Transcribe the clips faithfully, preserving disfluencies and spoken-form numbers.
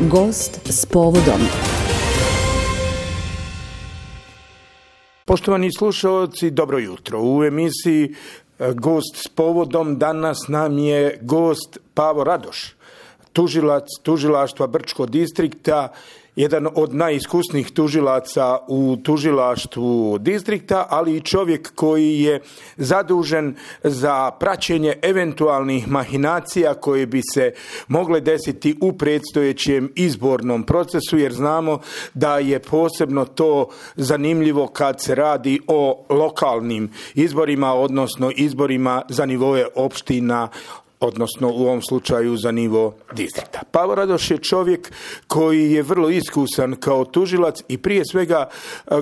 Gost s povodom. Poštovani slušalci, dobro jutro. U emisiji Gost s povodom danas nam je gost Pavo Radoš, tužilac tužilaštva Brčkog distrikta, jedan od najiskusnijih tužilaca u tužilaštvu distrikta, ali i čovjek koji je zadužen za praćenje eventualnih mahinacija koje bi se mogle desiti u predstojećem izbornom procesu, jer znamo da je posebno to zanimljivo kad se radi o lokalnim izborima, odnosno izborima za nivoe opština, odnosno u ovom slučaju za nivo distrikta. Pavo Radoš je čovjek koji je vrlo iskusan kao tužilac i prije svega,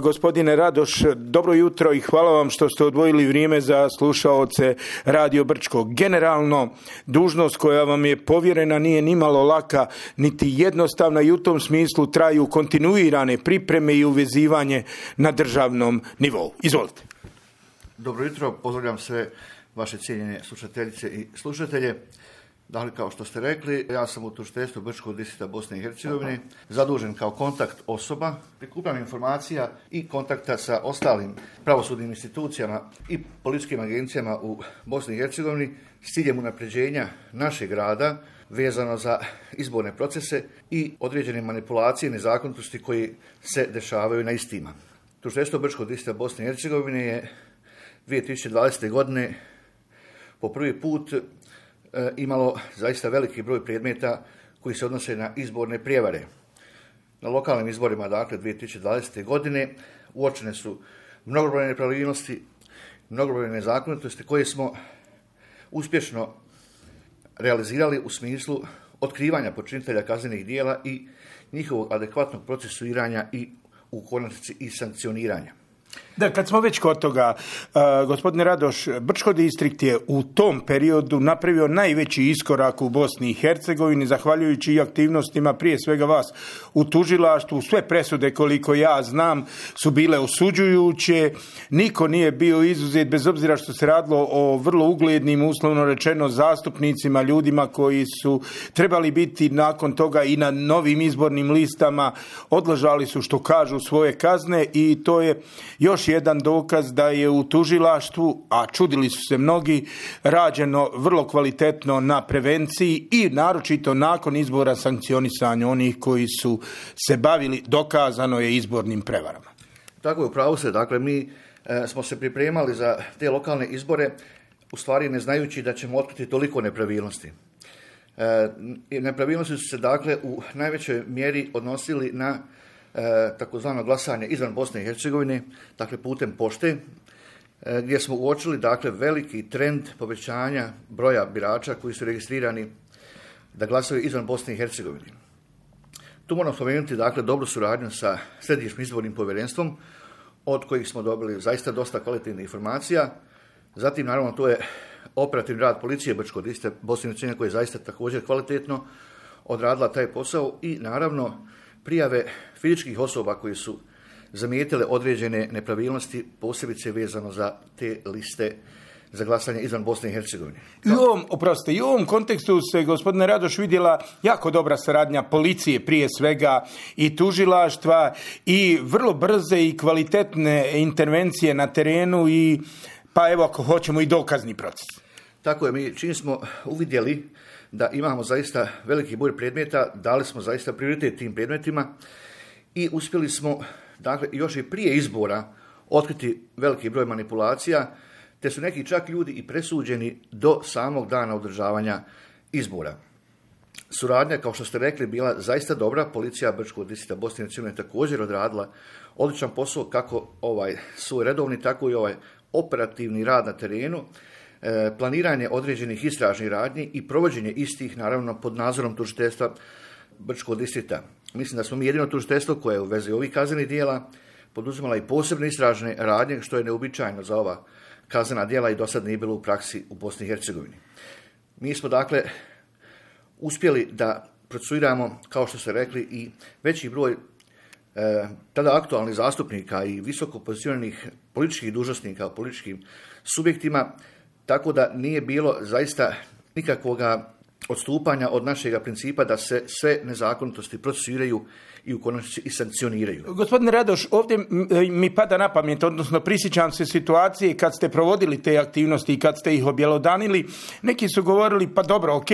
gospodine Radoš, dobro jutro i hvala vam što ste odvojili vrijeme za slušaoce Radio Brčkog. Generalno, dužnost koja vam je povjerena nije nimalo laka, niti jednostavna i u tom smislu traju kontinuirane pripreme i uvezivanje na državnom nivou. Izvolite. Dobro jutro, pozdravljam sve vaše cijenjene slušateljice i slušatelje. Dakle, kao što ste rekli, ja sam u tužiteljstvu Brčkog distrikta Bosne i Hercegovine zadužen kao kontakt osoba, prikupljam informacija i kontakta sa ostalim pravosudnim institucijama i policijskim agencijama u Bosni i Hercegovini s ciljem unapređenja našeg rada vezano za izborne procese i određene manipulacije i nezakonitosti koji se dešavaju na istima. Tužiteljstvo Brčkog distrikta Bosne i Hercegovine je dvije tisuće dvadesete. godine po prvi put e, imalo zaista veliki broj predmeta koji se odnose na izborne prijevare. Na lokalnim izborima, dakle, dvije tisuće dvadesete. godine uočene su mnogobrojne nepravilnosti, mnogobrojne nezakonitosti koje smo uspješno realizirali u smislu otkrivanja počinitelja kaznenih djela i njihovog adekvatnog procesuiranja i u konačnici i sankcioniranja. Da, kad smo već kod toga, uh, gospodine Radoš, Brčko distrikt je u tom periodu napravio najveći iskorak u Bosni i Hercegovini, zahvaljujući i aktivnostima prije svega vas u tužilaštvu. Sve presude, koliko ja znam, su bile osuđujuće, niko nije bio izuzet, bez obzira što se radilo o vrlo uglednim, uslovno rečeno, zastupnicima, ljudima koji su trebali biti nakon toga i na novim izbornim listama, odležali su, što kažu, svoje kazne i to je još jedan dokaz da je u tužilaštvu, a čudili su se mnogi, rađeno vrlo kvalitetno na prevenciji i naročito nakon izbora sankcionisanja onih koji su se bavili, dokazano je, izbornim prevarama. Tako je, upravo se. Dakle, mi e, smo se pripremali za te lokalne izbore, u stvari ne znajući da ćemo otkriti toliko nepravilnosti. E, nepravilnosti su se, dakle, u najvećoj mjeri odnosili na E, takozvano glasanje izvan Bosne i Hercegovine, dakle putem pošte, e, gdje smo uočili, dakle, veliki trend povećanja broja birača koji su registrirani da glasaju izvan Bosne i Hercegovine. Tu moram spomenuti, dakle, dobru suradnju sa Središnjim izbornim povjerenstvom, od kojih smo dobili zaista dosta kvalitetnih informacija. Zatim, naravno, to je operativni rad policije Brčkog distrikta Bosne i Hercegovine, koji je zaista također kvalitetno odradila taj posao i, naravno, prijave fizičkih osoba koji su zamijetile određene nepravilnosti, posebice vezano za te liste za glasanje izvan Bosne i Hercegovine. I u ovom, oprostite, i u ovom kontekstu se, gospodine Radoš, vidjela jako dobra saradnja policije prije svega i tužilaštva i vrlo brze i kvalitetne intervencije na terenu i, pa evo, ako hoćemo, i dokazni proces. Tako je, mi čim smo uvidjeli da imamo zaista veliki broj predmeta, dali smo zaista prioritet tim predmetima i uspjeli smo, dakle, još i prije izbora otkriti veliki broj manipulacija, te su neki čak ljudi i presuđeni do samog dana održavanja izbora. Suradnja, kao što ste rekli, bila zaista dobra. Policija Brčkog distrikta Bosne i Hercegovine također odradila odličan posao, kako ovaj svoj redovni, tako i ovaj operativni rad na terenu, planiranje određenih istražnih radnji i provođenje istih, naravno, pod nadzorom tužiteljstva Brčkog distrikta. Mislim da smo mi jedino tužiteljstvo koje je u vezi ovih kaznenih djela poduzimala i posebne istražne radnje, što je neobičajno za ova kaznena djela i do sad nije bilo u praksi u Bosni i Hercegovini. Mi smo, dakle, uspjeli da procesuiramo, kao što ste rekli, i veći broj e, tada aktualnih zastupnika i visoko pozicioniranih političkih dužnosnika u političkim subjektima, tako da nije bilo zaista nikakvoga odstupanja od našeg principa da se sve nezakonitosti procesuiraju i u konačnici i sankcioniraju. Gospodine Radoš, ovdje mi pada na pamet, odnosno prisjećam se situacije kad ste provodili te aktivnosti i kad ste ih objelodanili, neki su govorili pa dobro, ok,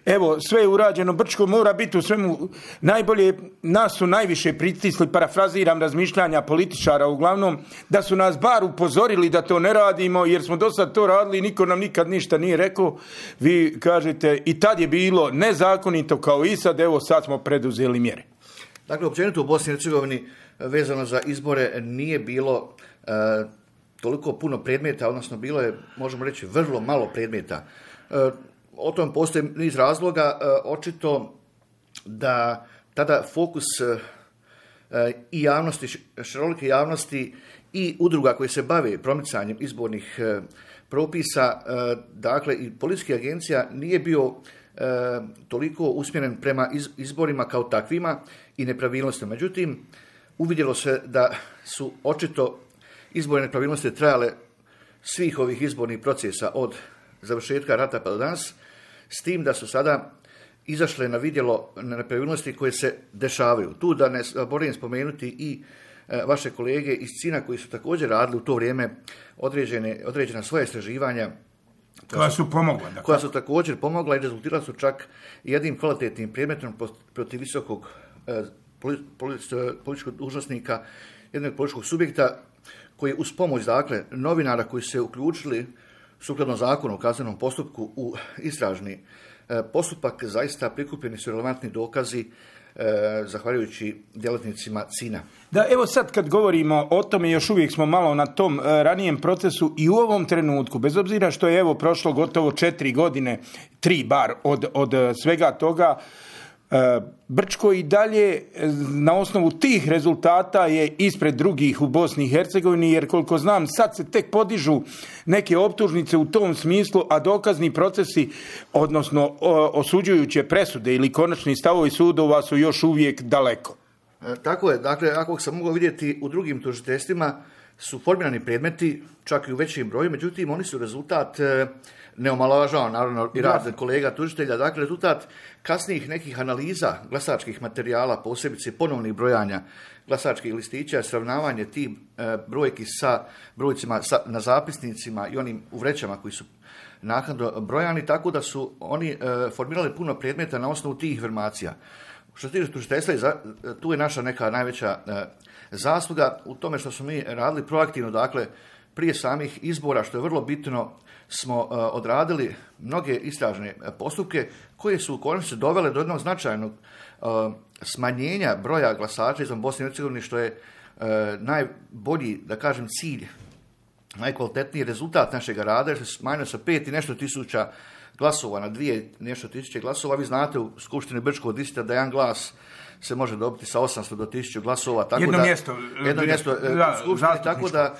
evo sve je urađeno, Brčko mora biti u svemu najbolje, nas su najviše pritisli, parafraziram razmišljanja političara uglavnom, da su nas bar upozorili da to ne radimo jer smo do sad to radili i niko nam nikad ništa nije rekao. Vi kažete i tad je bilo nezakonito kao i sad, evo sad smo preduzeli mjere. Dakle, općenito u Bosni i Hercegovini vezano za izbore nije bilo e, toliko puno predmeta, odnosno bilo je, možemo reći, vrlo malo predmeta. E, o tom postoji niz razloga, e, očito da tada fokus e, i javnosti, širolike javnosti i udruga koje se bave promicanjem izbornih e, propisa, e, dakle i policijskih agencija nije bio E, toliko usmjeren prema iz, izborima kao takvima i nepravilnostima. Međutim, uvidjelo se da su očito izborne nepravilnosti trajale svih ovih izbornih procesa od završetka rata pa do danas, s tim da su sada izašle na vidjelo nepravilnosti koje se dešavaju. Tu da ne zaboravim spomenuti i e, vaše kolege iz Cina koji su također radili u to vrijeme određene, određena svoja istraživanja koja su pomogla. Dakle. Koja su također pomogla i rezultirala su čak jednim kvalitetnim predmetom protiv visokog eh, političkog dužnosnika, jednog političkog subjekta koji uz pomoć, dakle, novinara koji su se uključili sukladno zakonu o kaznenom postupku u istražni eh, postupak, zaista prikupljeni su relevantni dokazi E, zahvaljujući djelatnicima Cina. Da, evo sad kad govorimo o tome, još uvijek smo malo na tom e, ranijem procesu i u ovom trenutku, bez obzira što je evo prošlo gotovo četiri godine, tri bar od, od svega toga, e, Brčko i dalje na osnovu tih rezultata je ispred drugih u Bosni i Hercegovini, jer koliko znam sad se tek podižu neke optužnice u tom smislu, a dokazni procesi, odnosno o, osuđujuće presude ili konačni stavovi sudova su još uvijek daleko. E, tako je, dakle, ako sam mogao vidjeti u drugim tužiteljstvima su formirani predmeti, čak i u većem broju, međutim oni su rezultat, e, ne omalovažavam naravno i rad kolega tužitelja, dakle rezultat kasnijih nekih analiza glasačkih materijala, posebice ponovnih brojanja glasačkih listića, sravnavanje tih e, brojki sa brojcima sa, na zapisnicima i onim u vrećama koji su naknadno brojani, tako da su oni e, formirali puno predmeta na osnovu tih informacija. Što se tiče tužiteljstva, tu je naša neka najveća e, zasluga u tome što smo mi radili proaktivno, dakle prije samih izbora, što je vrlo bitno, smo uh, odradili mnoge istražne postupke koje su u konačnici dovele do jednog značajnog uh, smanjenja broja glasača izvan Bosne i Hercegovine, što je uh, najbolji, da kažem, cilj, najkvalitetniji rezultat našeg rada, jer se smanjio sa pet i nešto tisuća glasova na dvije nešto tisuće glasova. Vi znate u Skupštini Brčkog distrikta da jedan glas se može dobiti sa osamsto do tisuću glasova. Tako jedno da, mjesto. Jedno mjesto da, u Skupštini, tako da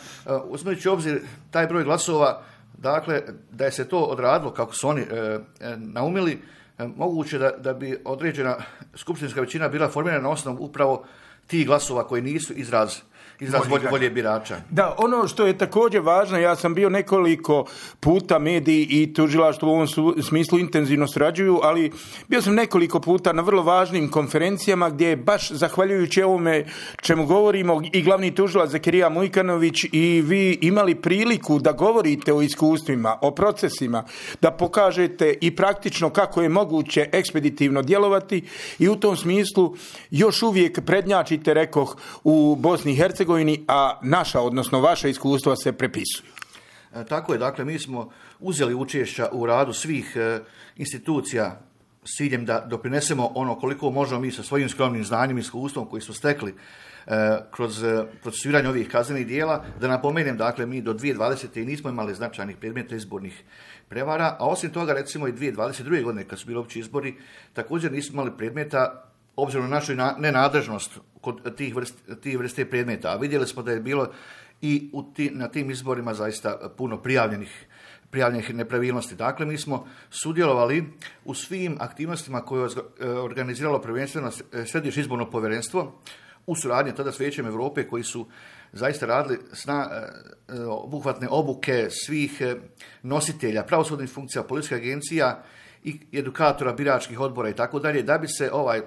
uzmeći obzir taj broj glasova, dakle, da je se to odradilo kako su oni e, naumili, e, moguće da, da bi određena skupštinska većina bila formirana na osnovu upravo tih glasova koji nisu izraz izraz volje, volje birača. Da, ono što je također važno, ja sam bio nekoliko puta, mediji i tužilaštvo u ovom smislu intenzivno surađuju, ali bio sam nekoliko puta na vrlo važnim konferencijama gdje je baš zahvaljujući ovome čemu govorimo i glavni tužilac Zakirija Mujkanović i vi imali priliku da govorite o iskustvima, o procesima, da pokažete i praktično kako je moguće ekspeditivno djelovati i u tom smislu još uvijek prednjačite, rekoh, u Bosni i Hercegovini, a naša, odnosno vaša iskustva se prepisuju. E, tako je, dakle, mi smo uzeli učešća u radu svih e, institucija s ciljem da doprinesemo ono koliko možemo mi sa svojim skromnim znanjem i iskustvom koji smo stekli e, kroz e, procesuiranje ovih kaznenih dijela. Da napomenem, dakle, mi do dvije tisuće dvadesete nismo imali značajnih predmeta izbornih prevara, a osim toga, recimo, i dvije tisuće dvadeset druge godine, kad su bili opći izbori, također nismo imali predmeta obzirom na našu nenadležnost kod tih vrste, tih vrste predmeta. A vidjeli smo da je bilo i u ti, na tim izborima zaista puno prijavljenih, prijavljenih nepravilnosti. Dakle, mi smo sudjelovali u svim aktivnostima koje je organiziralo prvenstveno Središnje izborno povjerenstvo u suradnji tada s Vijećem Europe, koji su zaista radili sna, obuhvatne obuke svih nositelja pravosudnih funkcija, policijskih agencija i edukatora biračkih odbora i tako dalje, da bi se ovaj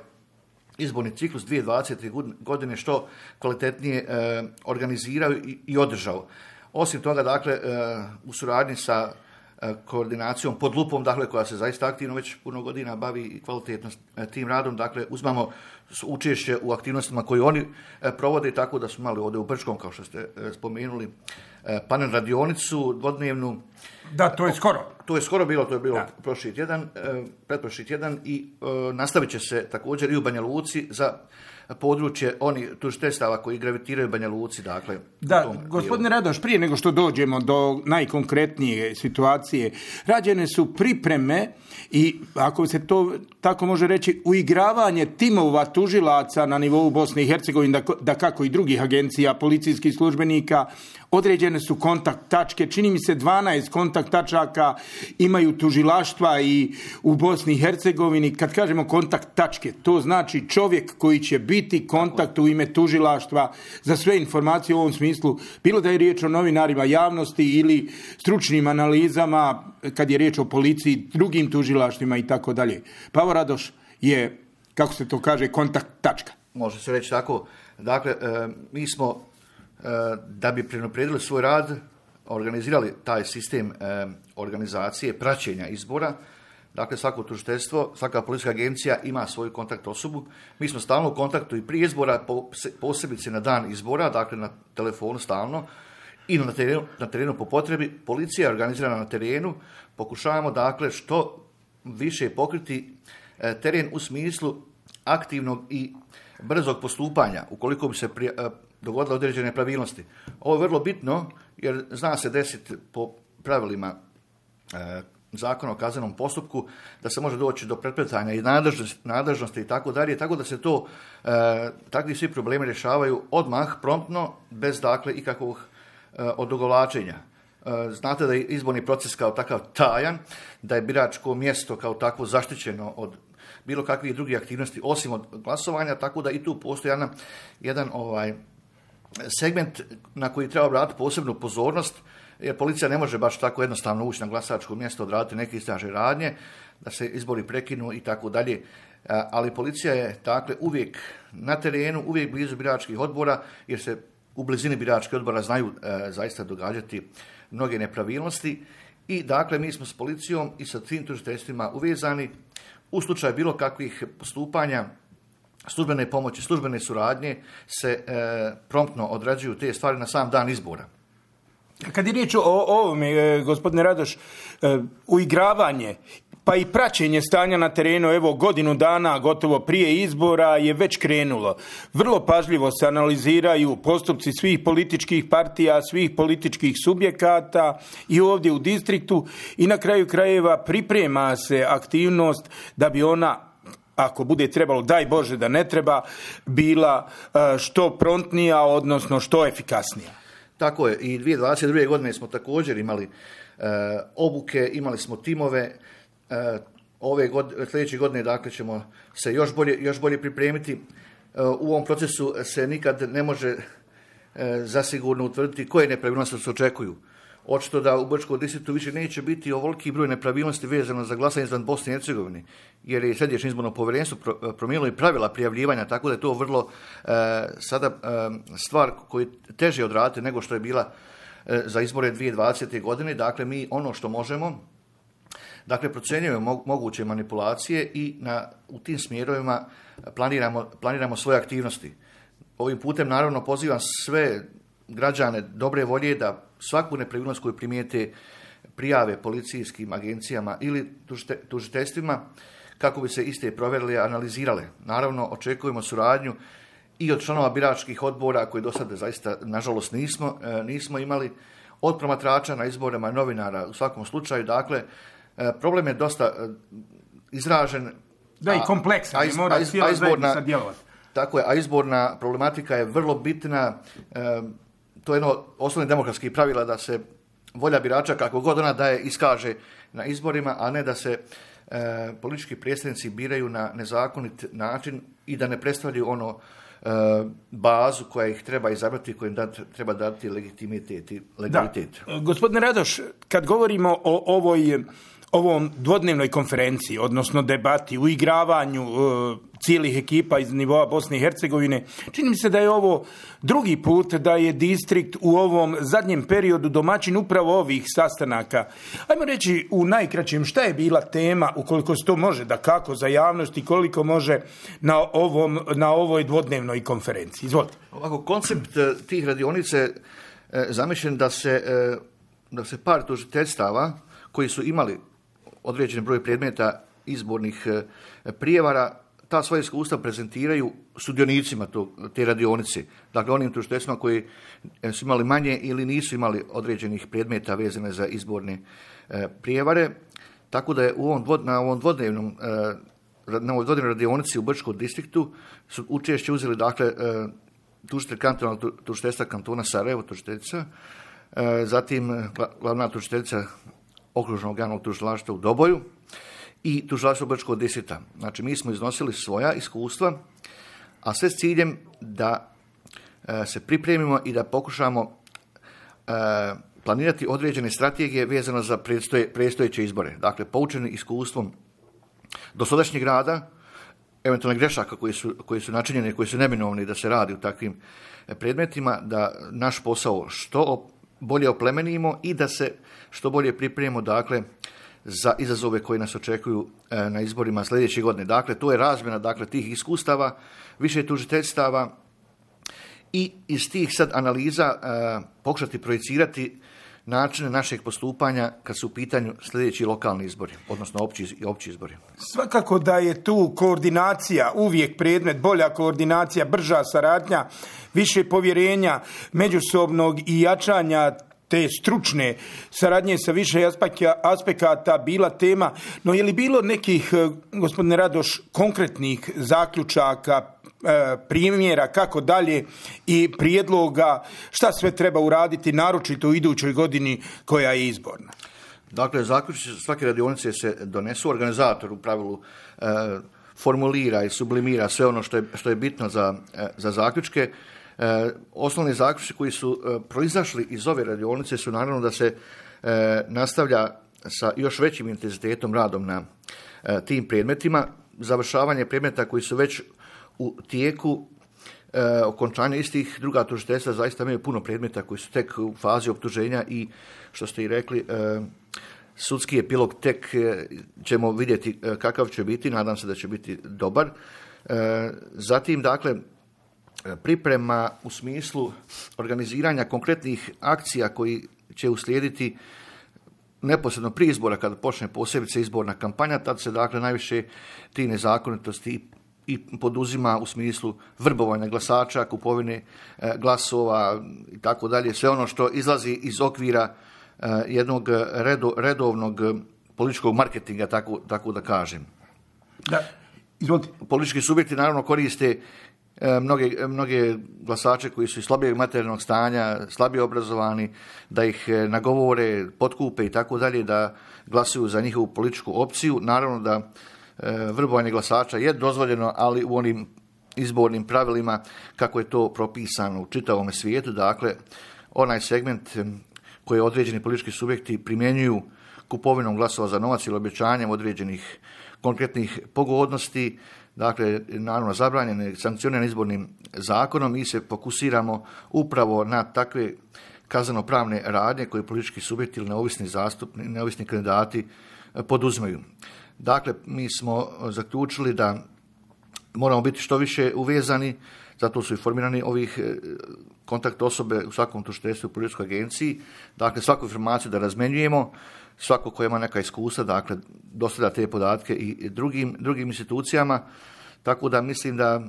izborni ciklus dvije tisuće dvadesete. godine što kvalitetnije e, organizirao i, i održao. Osim toga, dakle, e, u suradnji sa e, koordinacijom pod lupom, dakle, koja se zaista aktivno već puno godina bavi i kvalitetno e, tim radom, dakle, uzmamo učešće u aktivnostima koje oni e, provode, tako da su imali ovdje u Brčkom, kao što ste e, spomenuli, e, panel radionicu dvodnevnu. Da, to je skoro. To je skoro bilo, to je bilo da. prošli tjedan, e, pretprošli tjedan i e, nastavit će se također i u Banja Luci za područje oni tužiteljstava koji gravitiraju Banja Luci, dakle. Da, gospodine Radoš, prije nego što dođemo do najkonkretnije situacije, rađene su pripreme i, ako se to tako može reći, uigravanje timova tužilaca na nivou Bosne i Hercegovine, da, da kako i drugih agencija, policijskih službenika, određene su kontakt tačke, čini mi se dvanaest kontakt tačaka imaju tužilaštva i u Bosni i Hercegovini. Kad kažemo kontakt tačke, to znači čovjek koji će biti kontakt u ime tužilaštva za sve informacije u ovom smislu, bilo da je riječ o novinarima javnosti ili stručnim analizama, kad je riječ o policiji, drugim tužilaštvima i tako dalje. Pavo Radoš je, kako se to kaže, kontakt tačka. Može se reći tako. Dakle, e, mi smo da bi prenaprijedili svoj rad, organizirali taj sistem e, organizacije, praćenja izbora. Dakle, svako tužiteljstvo, svaka policijska agencija ima svoju kontakt osobu. Mi smo stalno u kontaktu i prije izbora, posebice na dan izbora, dakle na telefonu stalno i na terenu, na terenu po potrebi. Policija je organizirana na terenu. Pokušavamo, dakle, što više pokriti e, teren u smislu aktivnog i brzog postupanja, ukoliko bi se prije, e, dogodile određene nepravilnosti. Ovo je vrlo bitno jer zna se desiti po pravilima e, zakona o kaznenom postupku da se može doći do prepletanja i nadležnosti, nadležnosti i tako dalje, tako da se to e, takvi svi problemi rješavaju odmah, promptno, bez dakle ikakvog e, odugovlačenja. E, znate da je izborni proces kao takav tajan, da je biračko mjesto kao takvo zaštićeno od bilo kakvih drugih aktivnosti osim od glasovanja, tako da i tu postoji jedan, jedan ovaj segment na koji treba obratiti posebnu pozornost, jer policija ne može baš tako jednostavno ući na glasačko mjesto, odraditi neke istražne radnje, da se izbori prekinu i tako dalje. Ali policija je dakle uvijek na terenu, uvijek blizu biračkih odbora, jer se u blizini biračkih odbora znaju e, zaista događati mnoge nepravilnosti. I dakle mi smo s policijom i sa tim tužiteljstvima uvezani u slučaju bilo kakvih postupanja, službene pomoći, službene suradnje se e, promptno odrađuju te stvari na sam dan izbora. Kad je riječ o ovome, gospodine Radoš, uigravanje pa i praćenje stanja na terenu, evo godinu dana gotovo prije izbora je već krenulo. Vrlo pažljivo se analiziraju postupci svih političkih partija, svih političkih subjekata i ovdje u distriktu i na kraju krajeva priprema se aktivnost da bi ona, ako bude trebalo, daj Bože da ne treba, bila što promptnija, odnosno što efikasnija. Tako je, i dvije tisuće dvadeset druge. godine smo također imali e, obuke, imali smo timove. E, ove godine, sljedeće godine dakle ćemo se još bolje, još bolje pripremiti. E, u ovom procesu se nikad ne može e, zasigurno utvrditi koje nepravilnosti se očekuju. Očito da u Brčkom distriktu više neće biti ovoliki broj nepravilnosti vezano za glasanje izvan Bosne i Hercegovine, jer je Središnje izborno povjerenstvo promijenilo i pravila prijavljivanja, tako da je to vrlo e, sada e, stvar koju teže odraditi nego što je bila e, za izbore dvije tisuće dvadesete. godine. Dakle, mi ono što možemo, dakle, procjenjujemo moguće manipulacije i na, u tim smjerovima planiramo, planiramo svoje aktivnosti. Ovim putem, naravno, pozivam sve građane dobre volje da svaku nepravilnost koju primijete prijave policijskim agencijama ili tužiteljstvima kako bi se iste provjerile i analizirale. Naravno, očekujemo suradnju i od članova biračkih odbora koji do sada zaista, nažalost, nismo, nismo imali, od promatrača na izborima, novinara u svakom slučaju. Dakle, problem je dosta izražen. Da, i kompleksan, a, mora a, cijela zajednica djelovati. Tako je, a izborna problematika je vrlo bitna. E, to je jedno od osnovnih demokratskih pravila da se volja birača, kako god ona daje, iskaže na izborima, a ne da se e, politički predstavnici biraju na nezakonit način i da ne predstavljaju ono e, bazu koja ih treba izabrati, kojim dat, treba dati legitimitet i legalitet. Da. Gospodine Radoš, kad govorimo o ovoj ovom dvodnevnoj konferenciji, odnosno debati, uigravanju uh, cijelih ekipa iz nivoa Bosne i Hercegovine, čini mi se da je ovo drugi put da je distrikt u ovom zadnjem periodu domaćin upravo ovih sastanaka. Ajmo reći u najkraćem šta je bila tema, ukoliko se to može da kako za javnost i koliko može na, ovom, na ovoj dvodnevnoj konferenciji. Izvolite. Ovako, koncept tih radionice je zamišljen da se, da se par tužiteljstava koji su imali određen broj predmeta izbornih prijevara, ta svoja iskustva prezentiraju sudionicima to, te radionice. Dakle, onim tužiteljstvima koji su imali manje ili nisu imali određenih predmeta vezane za izborne prijevare. Tako da je u ovom dvod, na ovom dvodnevnom na ovoj dvodnevnoj radionici u Brčkom distriktu su učešće uzeli, dakle, tužitelj kantonalnog tužiteljstva kantona Sarajevo, tužiteljica, zatim glavna tužiteljica okružnog javnog tužilaštva u Doboju i tužilaštvo Brčkog distrikta. Znači, mi smo iznosili svoja iskustva, a sve s ciljem da e, se pripremimo i da pokušamo e, planirati određene strategije vezano za predstoje, predstojeće izbore. Dakle, poučeni iskustvom dosadašnjeg rada, eventualne grešaka koji su, koji su načinjeni, koji su neminovni da se radi u takvim predmetima, da naš posao što bolje oplemenimo i da se što bolje pripremimo, dakle, za izazove koji nas očekuju e, na izborima sljedeće godine. Dakle, to je razmjena, dakle, tih iskustava, više tužiteljstava i iz tih sad analiza e, pokušati projicirati načine našeg postupanja kad su u pitanju sljedeći lokalni izbori, odnosno opći, opći izbori. Svakako da je tu koordinacija uvijek predmet, bolja koordinacija, brža saradnja, više povjerenja međusobnog i jačanja te stručne saradnje sa više aspekata bila tema. No je li bilo nekih, gospodine Radoš, konkretnih zaključaka, primjera kako dalje i prijedloga šta sve treba uraditi, naročito u idućoj godini koja je izborna? Dakle, zaključci svake radionice se donesu, organizator u pravilu e, formulira i sublimira sve ono što je, što je bitno za, e, za zaključke. E, osnovni zaključci koji su e, proizašli iz ove radionice su naravno da se e, nastavlja sa još većim intenzitetom radom na e, tim predmetima, završavanje predmeta koji su već u tijeku, e, okončanja istih. Druga tužiteljstva zaista imaju puno predmeta koji su tek u fazi optuženja i, što ste i rekli, e, sudski epilog tek e, ćemo vidjeti e, kakav će biti, nadam se da će biti dobar. E, zatim, dakle, priprema u smislu organiziranja konkretnih akcija koji će uslijediti neposredno prije izbora, kada počne posebice izborna kampanja, tad se, dakle, najviše ti nezakonitosti i poduzima u smislu vrbovanja glasača, kupovine e, glasova i tako dalje, sve ono što izlazi iz okvira e, jednog redo, redovnog političkog marketinga, tako, tako da kažem. Da, izvolite. Politički subjekti naravno koriste e, mnoge, mnoge glasače koji su iz slabijeg materijalnog stanja, slabije obrazovani, da ih e, nagovore, potkupe i tako dalje, da glasuju za njihovu političku opciju. Naravno da vrbovanje glasača je dozvoljeno, ali u onim izbornim pravilima kako je to propisano u čitavom svijetu. Dakle, onaj segment koji određeni politički subjekti primjenjuju kupovinom glasova za novac ili obećanjem određenih konkretnih pogodnosti, dakle, naravno zabranjene, sankcionirane izbornim zakonom, mi se fokusiramo upravo na takve kazneno-pravne radnje koje politički subjekti ili neovisni zastupni, neovisni kandidati poduzimaju. Dakle, mi smo zaključili da moramo biti što više uvezani, zato su i formirani ovih kontakt osobe u svakom tužiteljstvu u policijskoj agenciji. Dakle, svaku informaciju da razmenjujemo, svako ko ima neka iskustva, dakle, dostavlja te podatke i drugim, drugim institucijama, tako da mislim da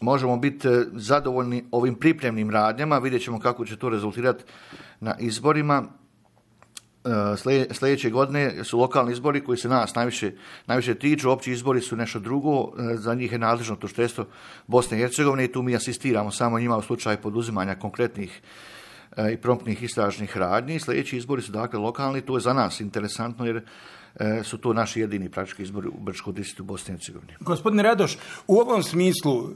možemo biti zadovoljni ovim pripremnim radnjama, vidjet ćemo kako će to rezultirati na izborima. Sljedeće godine su lokalni izbori koji se nas najviše, najviše tiču, opći izbori su nešto drugo, za njih je nadležno tužiteljstvo Bosne i Hercegovine i tu mi asistiramo samo njima u slučaju poduzimanja konkretnih i promptnih istražnih radnji. Sljedeći izbori su, dakle, lokalni, to je za nas interesantno jer su to naši jedini praktički izbori u Brčkom distriktu Bosne i Hercegovine. Gospodine Radoš, u ovom smislu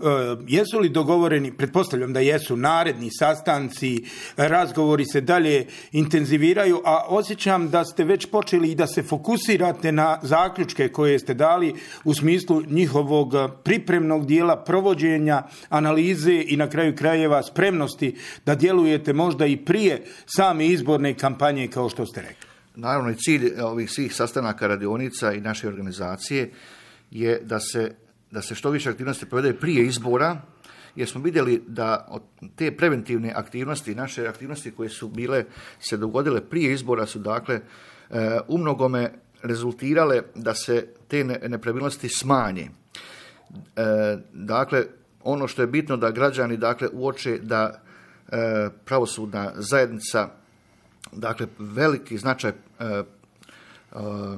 jesu li dogovoreni, pretpostavljam da jesu, naredni sastanci, razgovori se dalje intenziviraju, a osjećam da ste već počeli i da se fokusirate na zaključke koje ste dali u smislu njihovog pripremnog dijela, provođenja, analize i na kraju krajeva spremnosti da djelujete možda i prije same izborne kampanje kao što ste rekli. Naravno i cilj ovih svih sastanaka, radionica i naše organizacije je da se, da se što više aktivnosti provede prije izbora, jer smo vidjeli da od te preventivne aktivnosti, naše aktivnosti koje su bile, se dogodile prije izbora su dakle u mnogome rezultirale da se te nepravilnosti smanje. Dakle, ono što je bitno da građani dakle uoče da pravosudna zajednica dakle veliki značaj e, e,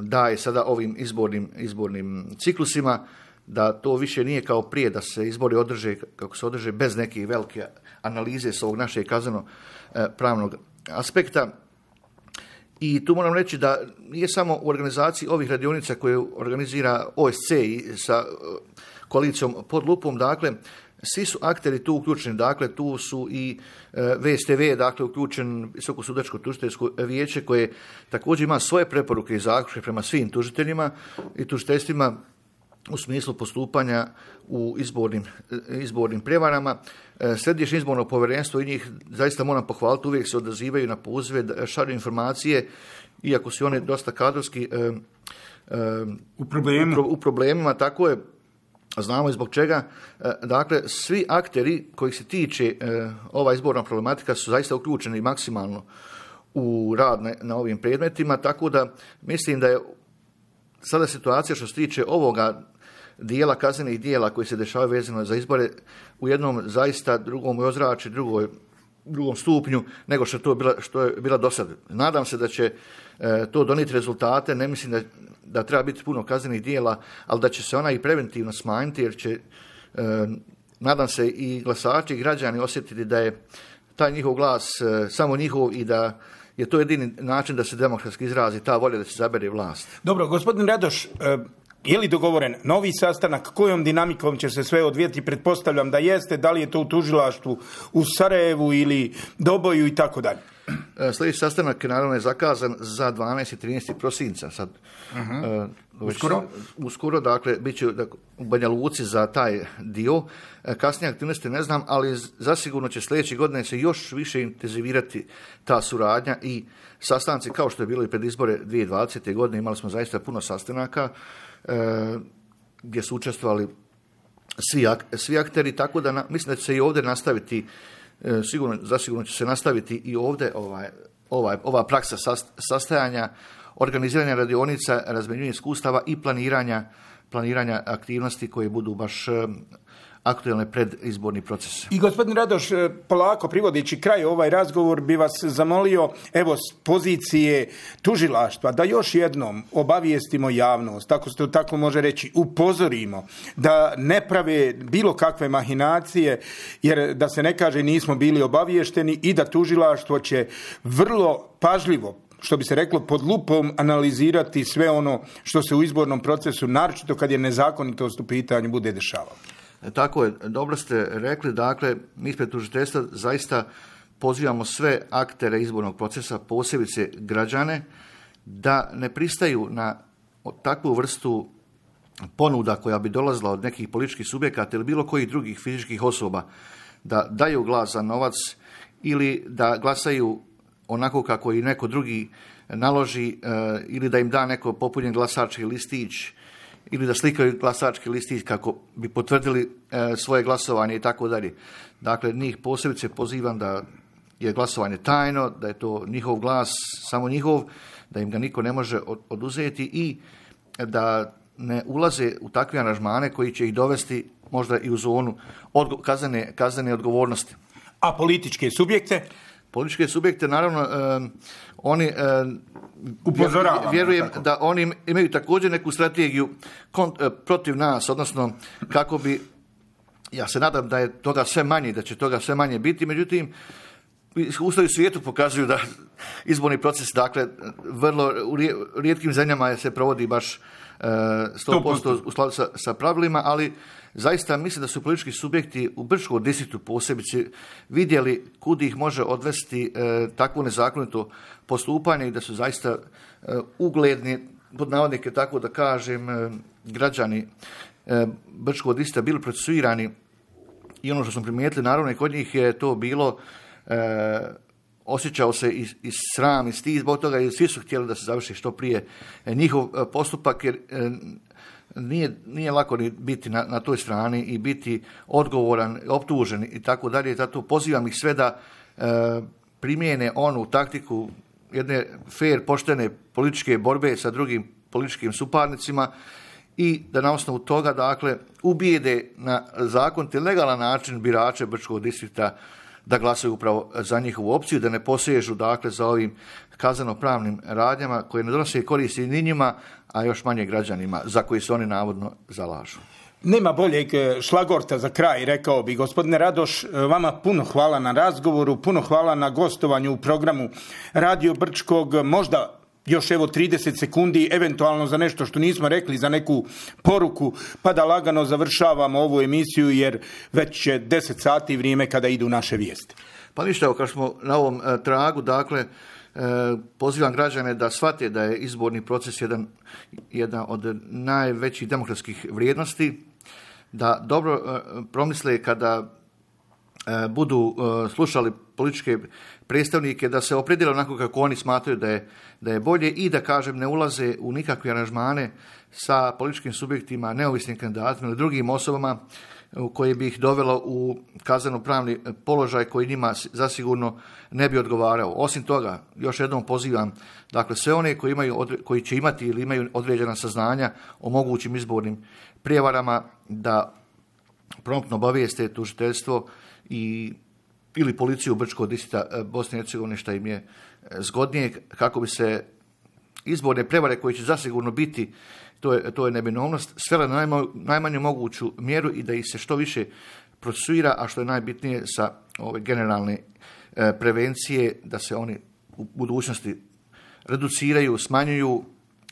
daje sada ovim izbornim, izbornim ciklusima, da to više nije kao prije da se izbori održe kako se održe bez neke velike analize s ovog našeg kazneno e, pravnog aspekta. I tu moram reći da nije samo u organizaciji ovih radionica koje organizira O S C i sa e, koalicijom pod lupom, dakle svi su akteri tu uključeni, dakle tu su i e, V S T V, dakle uključen Visoko sudačko tužiteljsko vijeće koje također ima svoje preporuke i zaključke prema svim tužiteljima i tužiteljstvima u smislu postupanja u izbornim, izbornim prevarama. E, Središnje izborno povjerenstvo i njih zaista moram pohvaliti, uvijek se odazivaju na pozive, šalju informacije, iako su one dosta kadrovski e, e, u, problemu. u, u problemima, tako je. Znamo i zbog čega. Dakle, svi akteri kojih se tiče ova izborna problematika su zaista uključeni maksimalno u rad na, na ovim predmetima, tako da mislim da je sada situacija što se tiče ovoga dijela kaznenih dijela koji se dešavaju vezano za izbore u jednom zaista drugom ozračju, drugoj drugom stupnju nego što, to bila, što je bila do sada. Nadam se da će e, to donijeti rezultate, ne mislim da, da treba biti puno kaznenih dijela, ali da će se ona i preventivno smanjiti, jer će, e, nadam se, i glasači i građani osjetiti da je taj njihov glas e, samo njihov i da je to jedini način da se demokratski izrazi ta volja da se zabere vlast. Dobro, gospodin Radoš, e, je li dogovoren novi sastanak? Kojom dinamikom će se sve odvijeti? Pretpostavljam da jeste. Da li je to u tužilaštvu u Sarajevu ili Doboju i tako dalje? Sljedeći sastanak naravno je zakazan za dvanaesti i trinaesti prosinca. Sad, uh-huh. uh, uskoro? Uskoro, dakle, bit će u Banja Luci za taj dio. Kasnije aktivnosti ne znam, ali zasigurno će sljedeće godine se još više intenzivirati ta suradnja i sastanci, kao što je bilo i pred izbore dvije tisuće dvadesete. godine. Imali smo zaista puno sastanaka e, gdje su učestvovali svi, ak, svi akteri, tako da na, mislim da će se i ovdje nastaviti, e, sigurno, zasigurno će se nastaviti i ovdje ovaj, ovaj, ova praksa sast, sastajanja, organiziranja radionica, razmjenjivanja iskustava i planiranja, planiranja aktivnosti koje budu baš e, aktualne pred izborni proces. I gospodin Radoš, polako privodeći kraj ovaj razgovor, bi vas zamolio, evo, s pozicije tužilaštva, da još jednom obavijestimo javnost, tako se to tako može reći, upozorimo, da ne prave bilo kakve mahinacije, jer da se ne kaže nismo bili obaviješteni i da tužilaštvo će vrlo pažljivo, što bi se reklo, pod lupom analizirati sve ono što se u izbornom procesu, naročito kad je nezakonitost u pitanju, bude dešavalo. Tako je, dobro ste rekli, dakle, mi ispred tužiteljstva zaista pozivamo sve aktere izbornog procesa, posebice građane, da ne pristaju na takvu vrstu ponuda koja bi dolazila od nekih političkih subjekata ili bilo kojih drugih fizičkih osoba, da daju glas za novac ili da glasaju onako kako i neko drugi naloži ili da im da neko popunjen glasački listić ili da slikaju glasački listić kako bi potvrdili e, svoje glasovanje i tako dalje. Dakle, njih posebice pozivam da je glasovanje tajno, da je to njihov glas, samo njihov, da im ga niko ne može oduzeti i da ne ulaze u takve aranžmane koji će ih dovesti možda i u zonu odgo- kaznene, kaznene odgovornosti. A političke subjekte? Političke subjekte, naravno, e, oni... E, Upozoravamo. Vjerujem da oni imaju također neku strategiju kont, protiv nas, odnosno kako bi, ja se nadam da je toga sve manje, da će toga sve manje biti, međutim, iskustva u svijetu pokazuju da izborni proces, dakle, vrlo u rijetkim zemljama se provodi baš sto posto u skladu sa, sa pravilima, ali zaista mislim da su politički subjekti u Brčkom distriktu posebice vidjeli kud ih može odvesti e, takvo nezakonito postupanje i da su zaista e, ugledni, pod navodnike tako da kažem, e, građani e, Brčkog distrikta bili procesuirani i ono što smo primijetili, naravno i kod njih je to bilo e, osjećao se i, i sram i stid zbog toga i svi su htjeli da se završi što prije njihov postupak jer e, nije, nije lako ni biti na, na toj strani i biti odgovoran, optužen i tako dalje. Zato pozivam ih sve da e, primijene onu taktiku jedne fair, poštene političke borbe sa drugim političkim suparnicima i da na osnovu toga, dakle, ubijede na zakonit i legalan način birače Brčkog distrikta da glasaju upravo za njihovu opciju, da ne posežu, dakle, za ovim kazneno-pravnim radnjama koje ne donose koristi ni njima, a još manje građanima za koji se oni navodno zalažu. Nema boljeg šlagorta za kraj, rekao bi. Gospodine Radoš, vama puno hvala na razgovoru, puno hvala na gostovanju u programu Radio Brčkog. Možda još evo trideset sekundi, eventualno za nešto što nismo rekli, za neku poruku, pa da lagano završavamo ovu emisiju jer već je deset sati vrijeme kada idu naše vijesti. Pa ništa, evo kad smo na ovom e, tragu, dakle, e, pozivam građane da shvate da je izborni proces jedan, jedan od najvećih demokratskih vrijednosti, da dobro e, promisle kada e, budu e, slušali političke predstavnike, da se opredele onako kako oni smatraju da je, da je bolje i da, kažem, ne ulaze u nikakve aranžmane sa političkim subjektima, neovisnim kandidatima ili drugim osobama koji bi ih dovelo u kazneno-pravni položaj koji njima zasigurno ne bi odgovarao. Osim toga, još jednom pozivam, dakle, sve one koji, imaju, koji će imati ili imaju određena saznanja o mogućim izbornim prijevarama da promptno obavijeste tužiteljstvo i ili policiju Brčkog distrikta Bosne i Hercegovine šta im je zgodnije kako bi se izborne prevare koje će zasigurno biti, to je, to je neminovnost, svela na najma, najmanju moguću mjeru i da ih se što više procesuira, a što je najbitnije sa ove generalne e, prevencije, da se oni u budućnosti reduciraju, smanjuju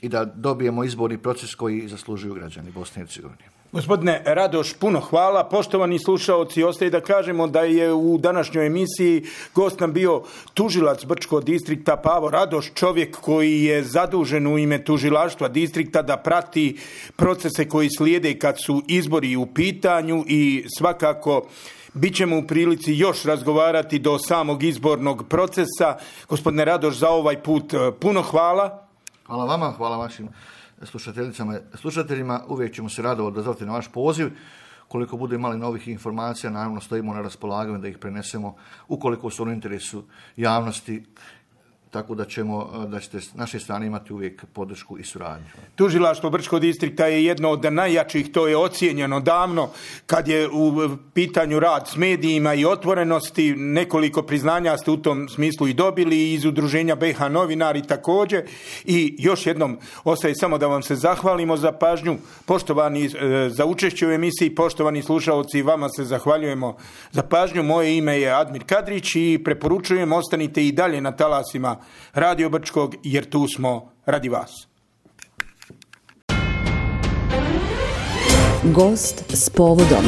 i da dobijemo izborni proces koji zaslužuju građani Bosne i Hercegovine. Gospodine Radoš, puno hvala. Poštovani slušaoci, ostaje da kažemo da je u današnjoj emisiji gost nam bio tužilac Brčkog distrikta Pavo Radoš, čovjek koji je zadužen u ime tužilaštva distrikta da prati procese koji slijede kad su izbori u pitanju i svakako bit ćemo u prilici još razgovarati do samog izbornog procesa. Gospodine Radoš, za ovaj put puno hvala. Hvala vama, hvala vašim slušateljicama i slušateljima. Uvijek ćemo se rado odazvati na vaš poziv. Koliko bude imali novih informacija, naravno stojimo na raspolaganju da ih prenesemo ukoliko su u interesu javnosti, tako da ćemo, da ćete s naše strane imati uvijek podršku i suradnju. Tužilaštvo Brčkog distrikta je jedno od najjačih, to je ocijenjeno davno kad je u pitanju rad s medijima i otvorenosti. Nekoliko priznanja ste u tom smislu i dobili iz udruženja B H novinari također. I još jednom ostaje samo da vam se zahvalimo za pažnju. Poštovani za učešće u emisiji, poštovani slušalci, vama se zahvaljujemo za pažnju. Moje ime je Admir Kadrić i preporučujem ostanite i dalje na talasima Radio Brčkog, jer tu smo radi vas. Gost s povodom.